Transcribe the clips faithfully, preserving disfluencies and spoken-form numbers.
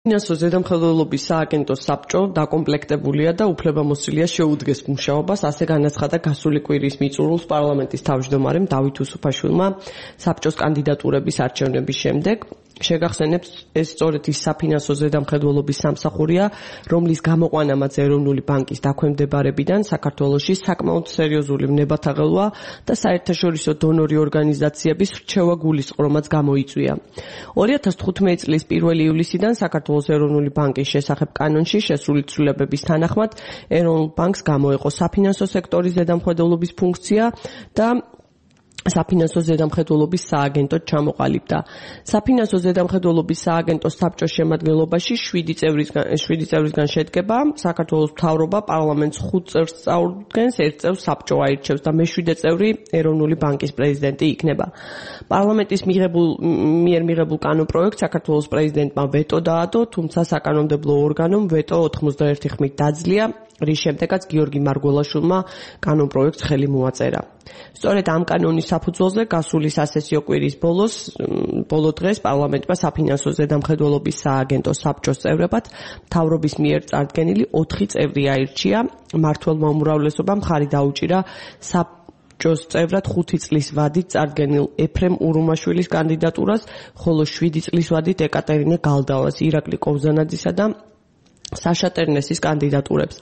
ფინანსო ზედამხედველობის სააგენტოს საბჭო დაკომპლექტებულია და უფლებამოსილია შეუდგეს მუშაობას, ასე განაცხადა გასული კვირის მიწურულს პარლამენტის თავმჯდომარემ დავით უსუფაშვილმა საბჭოს კანდიდატურების არჩევნების შემდეგ. შეგახსენებთ, ეს სწორედ ის საფინანსო ზედამხედველობის სამსახურია, რომლის გამოყვანამაც ეროვნული ბანკის დაქვემდებარებიდან საქართველოში საკმაოდ სერიოზული ვნებათაღელვა და საერთაშორისო დონორი ორგანიზაციების რჩევა გულისწყრომაც გამოიწვია. ორი ათას თხუთმეტი წლის პირველი ივლისიდან საქართველოს ეროვნული ბანკის შესახებ კანონში შესული ცვლილებების თანახმად ეროვნულ ბანკს გამოეყო საფინანსო სექტორის ზედამხედველობის ფუნქცია და საფინანსო ზედამხედველობის სააგენტოდ ჩამოყალიბდა. საფინანსო ზედამხედველობის სააგენტოს საბჭოს შემადგენლობაში შვიდი წევრისგან შვიდი წევრისგან შედგება. საქართველოს მთავრობა პარლამენტს ხუთ წევრს წარუდგენს, ერთ წევრს საბჭო აირჩევს და მეშვიდე წევრი ეროვნული ბანკის პრეზიდენტი იქნება. პარლამენტის მიღებულ მიერ მიღებულ კანონპროექტს საქართველოს პრეზიდენტმა ვეტო დაადო, თუმცა საკანონმდებლო ორგანომ ვეტო ოთხმოცდაერთი ხმით დაძლია, რის შემდეგაც გიორგი მარგველაშვილმა კანონპროექტს ხელი მოაწერა. სწორედ ამ კანონის საფუძველზე გასული სასესიო კვირის ბოლოს ბოლო დღეს პარლამენტმა საფინანსო ზედამხედველობის სააგენტოს საბჭოს წევრებად მთავრობის მიერ წარდგენილი ოთხი წევრი აირჩია. მმართველმა უმრავლესობამ მხარი დაუჭირა საბჭოს წევრად ხუთი წლის ვადით წარდგენილ ეფრემ ურუმაშვილის კანდიდატურას, ხოლო შვიდი წლის ვადით ეკატერინე გალდავას, ირაკლი კოვზანაძისა და საშა ტერნესის კანდიდატურებს.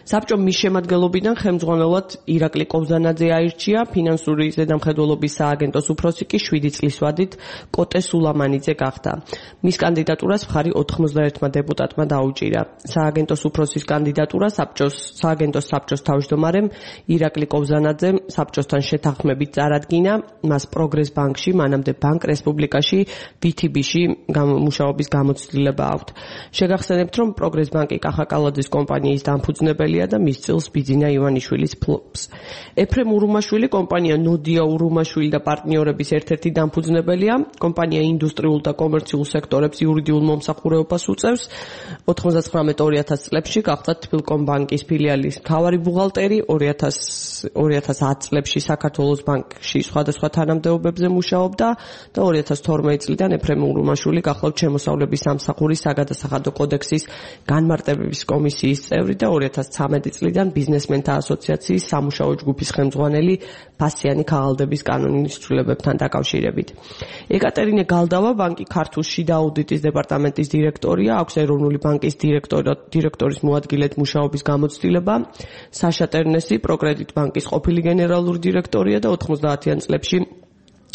საბჭომ მის შემადგენლობიდან ხელმძღვანელად ირაკლი კოვზანაძე აირჩია, ფინანსური ზედამხედველობის სააგენტოს უფროსი კი შვიდი წლის ვადით კოტე სულამანიძე გახდა. მის კანდიდატურას მხარი ოთხმოცდაერთმა დეპუტატმა დაუჭირა. სააგენტოს უფროსის კანდიდატურა საბჭოს სააგენტოს საბჭოს თავმჯდომარემ ირაკლი კოვზანაძემ საბჭოსთან შეთანხმებით წარადგინა, მას პროგრეს ბანკში, მანამდე ბანკ რესპუბლიკაში ვითიბიში მუშაობის გამოცდილება აქვთ. შეგახსენებთ, რომ პროგრეს ბანკი კახაკალაძის კომპანიის დამფუძნებელია და მის წილს ბიძინა ივანიშვილის ფლობს. ეფრემ ურუმაშვილი კომპანია ნოდია ურუმაშვილი და პარტნიორების ერთ-ერთი დამფუძნებელია. კომპანია ინდუსტრიულ და კომერციულ სექტორებს იურიდიულ მომსახურებას უწევს. ოთხმოცდათხრამეტ ორი ათას წლებში გახდა თბილკომ ბანკის ფილიალის მთავარი ბუღალტერი, ორი ათას ათ წლებში საქართველოს ბანკში სხვადასხვა თანამდებობებზე მუშაობდა და ორი ათას თორმეტი წლიდან ეფრემ ურუმაშვილი გახლავთ შემოსავლების სამსახურის საგადასახადო კოდექსის განმარტებების კომისიის წევრი და ორი ათას ცხრამეტი წლიდან ბიზნესმენთა ასოციაციის სამუშაო ჯგუფის ხელმძღვანელი ფასიანი ქაღალდების კანონის ცვლილებებთან დაკავშირებით. ეკატერინე გალდავა ბანკი ქართულ შიდა აუდიტის დეპარტამენტის დირექტორია, აქვს ეროვნული ბანკის დირექტორის მოადგილედ მუშაობის გამოცდილება. საშა ტერნესი პროკრედიტ ბანკის ყოფილი გენერალური დირექტორია და ოთხმოცდაათიან წლებში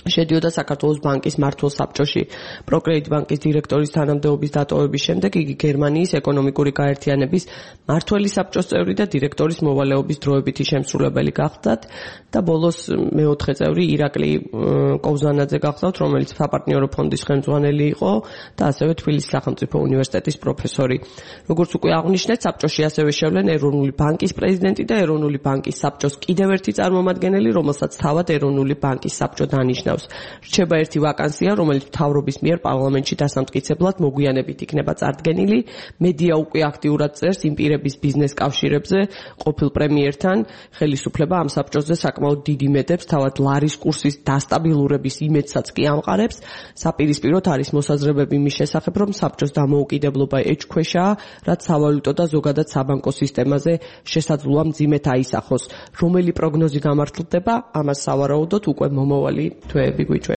შედიოდა საქართველოს ბანკის მმართველ საბჭოში. პროკრედიტ ბანკის დირექტორის თანამდებობის დატოვების შემდეგ იგი გერმანიის ეკონომიკური გაერთიანების მმართველი საბჭოს წევრი და დირექტორის მოვალეობის დროებითი შემსრულებელი გახდათ და ბოლოს მეოთხე წევრი ირაკლი კოვზანაძე გახდათ, რომელიც საპარტნიორო ფონდის ხელმძღვანელი იყო და ასევე თბილისის სახელმწიფო უნივერსიტეტის პროფესორი. როგორც უკვე აღნიშნეთ, საბჭოში ასევე შევლენ ეროვნული ბანკის პრეზიდენტი და ეროვნული ბანკის საბჭოს კიდევ ერთი წარმომადგენელი, რომელსაც თავად ეროვნული ბანკის საბჭო დანიშნავს. რჩება ერთი ვაკანსია, რომელიც მთავრობის მიერ პარლამენტში დასამტკიცებლად მოგვიანებით იქნება წარდგენილი. მედია უკვე აქტიურად წერს იმ პირების ბიზნეს კავშირებზე ყოფილ პრემიერთან. ხელისუფლება ამ საბჭოზე საკმაოდ დიდი იმედებს თავად ლარის კურსის დასტაბილურების იმედსაც კი ამყარებს. საპირისპიროდ არის მოსაზრებები იმის შესახებ, რომ საბჭოს დამოუკიდებლობა ეჭქვეშაა, რაც სავალუტო და ზოგადად საბანკო სისტემაზე შესაძლოა მძიმედ აისახოს. რომელი პროგნოზი გამართლდება, ამას სავარაუდოდ უკვე მომავალი თვეები გვიჩვენებს.